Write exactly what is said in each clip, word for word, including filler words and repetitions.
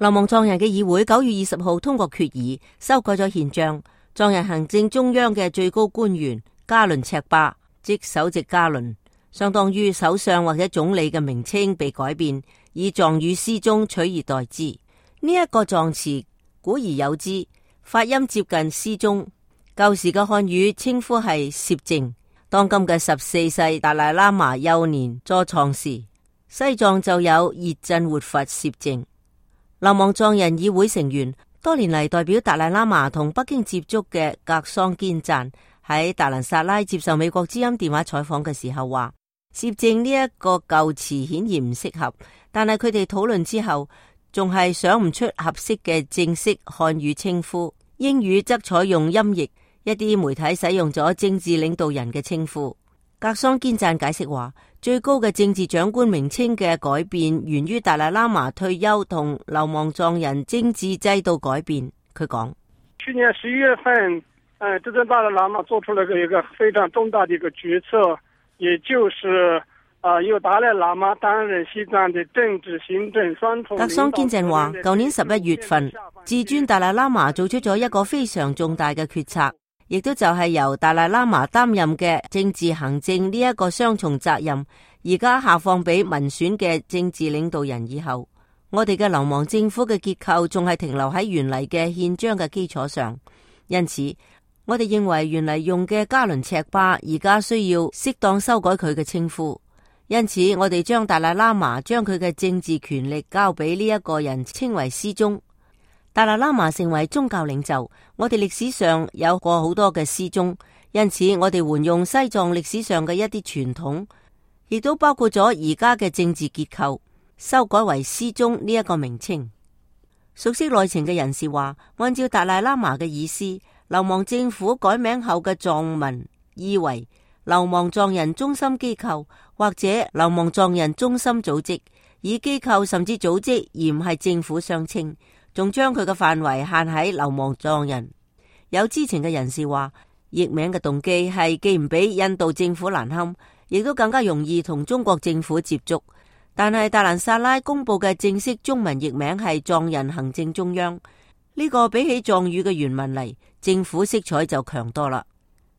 流亡藏人嘅議會九月二十號通過決議，修改咗憲章。藏人行政中央嘅最高官員加倫赤巴，即首席加倫，相當於首相或者總理嘅名稱被改變，以藏語思宗取而代之。呢、這、一個藏詞古而有之，發音接近思宗。舊時嘅漢語稱呼係攝淨。當今嘅十四世達賴喇嘛幼年坐藏時，西藏就有熱振活佛攝淨。流亡藏人議會成員多年嚟代表達賴喇嘛同北京接觸嘅格桑堅贊喺達蘭薩拉接受美國之音電話採訪嘅時候話，攝淨呢一個舊詞顯然唔適合，但係佢哋討論之後仲係想唔出合適嘅正式漢語稱呼，英語則採用音譯。一啲媒體使用咗政治領導人嘅稱呼。格桑堅贊解釋話，最高嘅政治長官名稱嘅改變源於達賴喇嘛退休同流亡藏人政治制度改變。佢講：去年十一月份，誒，執政達賴喇嘛做出了一個非常重大的一個決策，也就是啊，由達賴喇嘛擔任西藏的政治行政雙重。格桑堅贊話，舊年十一月份，至尊達賴喇嘛做出咗一個非常重大嘅決策。亦都就係由達賴喇嘛擔任嘅政治行政呢一個雙重責任，而家下放俾民選嘅政治領導人以後，我哋嘅流亡政府嘅結構仲係停留喺原嚟嘅憲章嘅基礎上，因此我哋認為原嚟用嘅加倫赤巴而家需要適當修改佢嘅稱呼，因此我哋將達賴喇嘛將佢嘅政治權力交俾呢一個人稱為思宗。達賴喇嘛成為宗教領袖，我哋歷史上有過好多嘅思宗，因此我哋沿用西藏歷史上嘅一啲傳統，亦都包括咗而家嘅政治結構，修改為思宗呢一個名稱。熟悉內情嘅人士話，按照達賴喇嘛嘅意思，流亡政府改名後嘅藏文意為流亡藏人中心機構或者流亡藏人中心組織，以機構甚至組織而唔係政府相稱，仲將佢嘅範圍限喺流亡藏人。有知情嘅人士話，譯名嘅動機係既唔俾印度政府難堪，亦都更加容易同中國政府接觸。但係達蘭薩拉公布嘅正式中文譯名係藏人行政中央，呢、這個比起藏語嘅原文嚟，政府色彩就強多啦。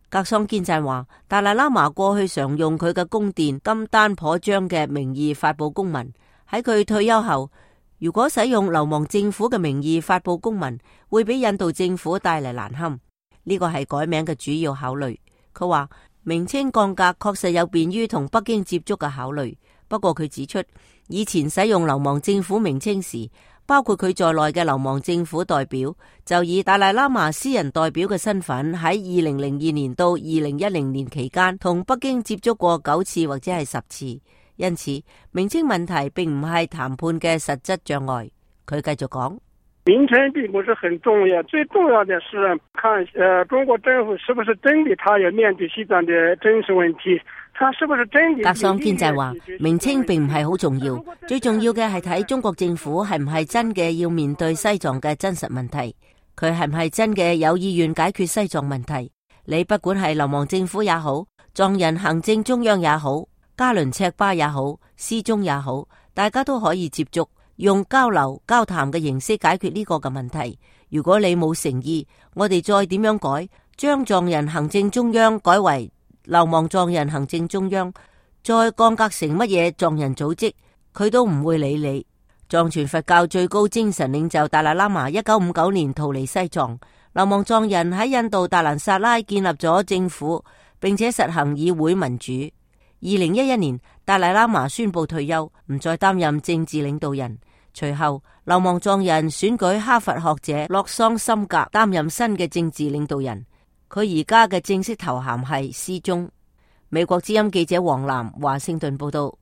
格桑堅贊話，達賴喇嘛過去常用佢嘅宮殿金丹頗章嘅名義發佈公文，喺佢退休後，如果使用流亡政府嘅名義發佈公文，會俾印度政府帶嚟難堪。呢個係改名嘅主要考慮。佢話名稱降格確實有便於同北京接觸嘅考慮。不過佢指出，以前使用流亡政府名稱時，包括佢在內嘅流亡政府代表，就以達賴喇嘛私人代表嘅身份喺二零零二年到二零一零年期間同北京接觸過九次或者係十次。因此，名稱問題並唔係談判嘅實質障礙。佢繼續講，名稱並不是很重要，最重要的是看，呃，中國政府是不是真的，他要面對西藏的真實問題，他是不是真的。格桑堅贊話，名稱並唔係好重要，最重要嘅係睇中國政府係唔係真嘅要面對西藏嘅真實問題，佢係唔係真嘅有意願解決西藏問題。你不管係流亡政府也好，藏人行政中央也好，加倫赤巴也好，思宗也好，大家都可以接觸，用交流交談嘅形式解決呢個嘅問題。如果你冇誠意，我哋再點樣改，將藏人行政中央改為流亡藏人行政中央，再降格成乜嘢藏人組織，佢都唔會理你。藏傳佛教最高精神領袖達賴喇嘛一九五九年逃離西藏，流亡藏人喺印度達蘭薩拉建立咗政府，並且實行議會民主。二零一一年，達賴喇嘛宣布退休，唔再擔任政治領導人。隨後，流亡藏人選舉哈佛學者洛桑森格擔任新嘅政治領導人。佢而家嘅正式頭銜係思宗。美國之音記者黃嵐華盛頓報道。